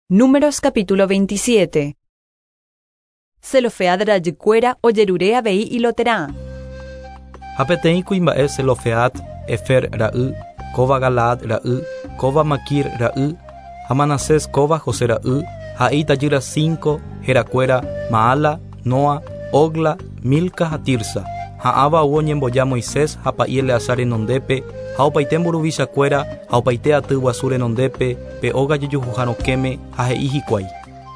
Números capítulo 27. Zelofehad rajykuéra ojerure avei iloterã. Ha peteĩ kuimba'e Zelofehad, Hefer ra'y, kóva Galaad ra'y, kóva Maquir ra'y, ha Manasés kóva José ra'y, ha'e itajýra cinco, herakuéra, Maala, Noa, Hogla, Milca ha Tirsa. Ha ãva ou oñemboja Moisés ha pa'i Eleazar renondépe, ha opaite mburuvichakuéra ha opaite aty guasu renondépe, pe óga jojuhuha rokẽme, ha he'i hikuái.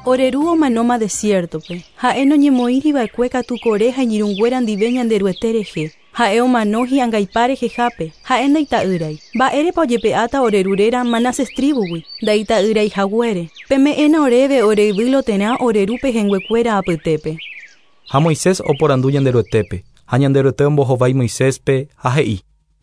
Ore ru omanóma desiértope. Ha'e noñemoĩri va'ekue katu Coré ha iñirũnguéra ndive Ñanderuete rehe. Ha'e omano hi'angaipa rehehápe, ha'e ndaita'ýrai. Mba'érepa ojepe'áta ore ru réra Manases tríbugui, ndaita'ýrai haguére? Peme'ẽna oréve ore yvy Loterã ore ru pehẽnguekuéra apytépe. Ha Moisés oporandu Ñanderuetépe, ha Ñanderuete ombohovái Moiséspe, ha he'i.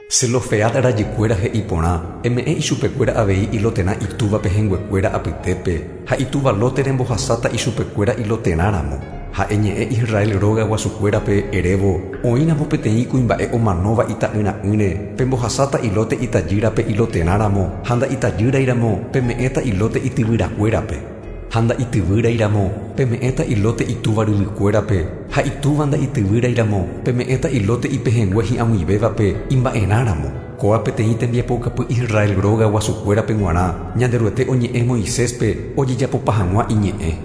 Zelofehad rajykuéra he'i porã, Eme'ẽ ichupekuéra avei iloterã itúva pehẽnguekuéra apytépe, ha itúva lóte rembohasáta ichupekuéra iloterã ramo. Ha eñe'ẽ Israel róga guasukuérape, erévo, Oĩ ramo peteĩ kuimba'e omanóva ita'yra'ỹre, pembohasáta ilóte itajýrape iloterã ramo, ha nda'itajýrai ramo, peme'ẽta ilóte ityvyrakuérape. Ha nda'ityvýrai ramo, peme'ẽta ilóte itúva ryvykuérape, ha itúva nda'ityvýrai ramo, peme'ẽta ilóte ipehẽngue hi'ag̃uivévape imba'erã ramo. Kóa peteĩ tembiapoukapy Israel róga guasukuérape g̃uarã, Ñanderuete oñe'ẽ Moiséspe ojejapopa hag̃ua iñe'ẽ.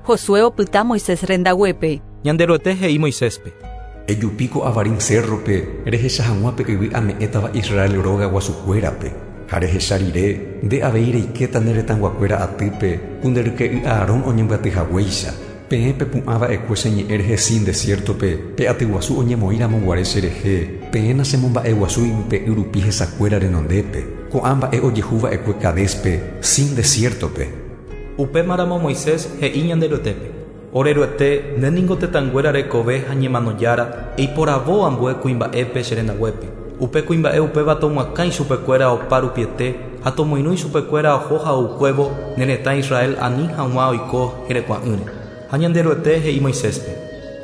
Josué opyta Moisés rendaguépe. Ñanderuete he'i Moiséspe. Ejupi ko Abarim cérrope rehecha hag̃ua pe yvy ame'ẽtava Israel róga guasukuérape. Ha rehecha rire, nde avei reikéta ne retãguakuéra atýpe, ku nde ryke'y Aarón oñembyaty haguéicha. Peẽ pepu'ã va'ekue che ñe'ẽ rehe Sin desiértope, pe aty guasu oñemoĩ ramo guare che rehe, peẽ nachemomba'eguasúi yvype'y rupi hesakuéra renondépe. Ko'ã mba'e ojehu va'ekue Cadéspe, Sin desiértope. Upémaramo Moisés he'i Ñanderuetépe, Ore Ruete, nde ningo tetãnguéra rekove ha ñemano Jára, eiporavo ambue kuimba'épe che rendaguépe. Upe kuimba'e upéva tomoakã ichupekuéra opa rupiete ha tomoirũ ichupekuéra oho ha oukuévo ne retã Israel ani hag̃ua oiko herekua'ỹre. Ha Ñanderuete he'i Moiséspe.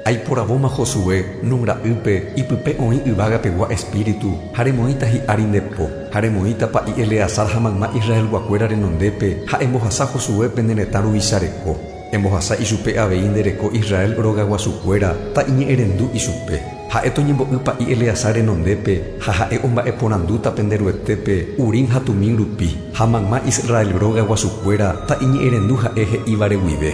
Aiporavóma Josué, Nun ra'ýpe, ipype oĩ yvága pegua espíritu, ha remoĩta hi'ári nde po, ha remoĩta pa'i Eleazar ha mayma Israelguakuéra renondépe, ha embohasa Josuépe ne retã ruvicha reko. Embohasa ichupe avei nde reko Israel rogaguasukuéra, ta'iñe'ẽrendu ichupe. Ha'e toñembo'y pa'i Eleazar renondépe, ha ha'e omba'eporandúta pende Ruetépe, Urim ha Tumim rupi, ha mayma Israel rogaguasukuéra ta'iñe'ẽrendu ha'e he'ívare guive.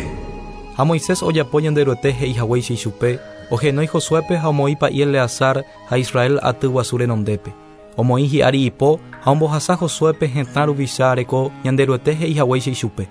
Ha Moisés ojapo Ñanderuete he'i haguéicha ichupe, ohenói Josuépe ha omoĩ pa'i Eleazar ha Israel aty guasu renondépe. Omoĩ hi'ári ipo ha ombohasa Josuépe hetã ruvicha reko Ñanderuete he'i haguéicha ichupe.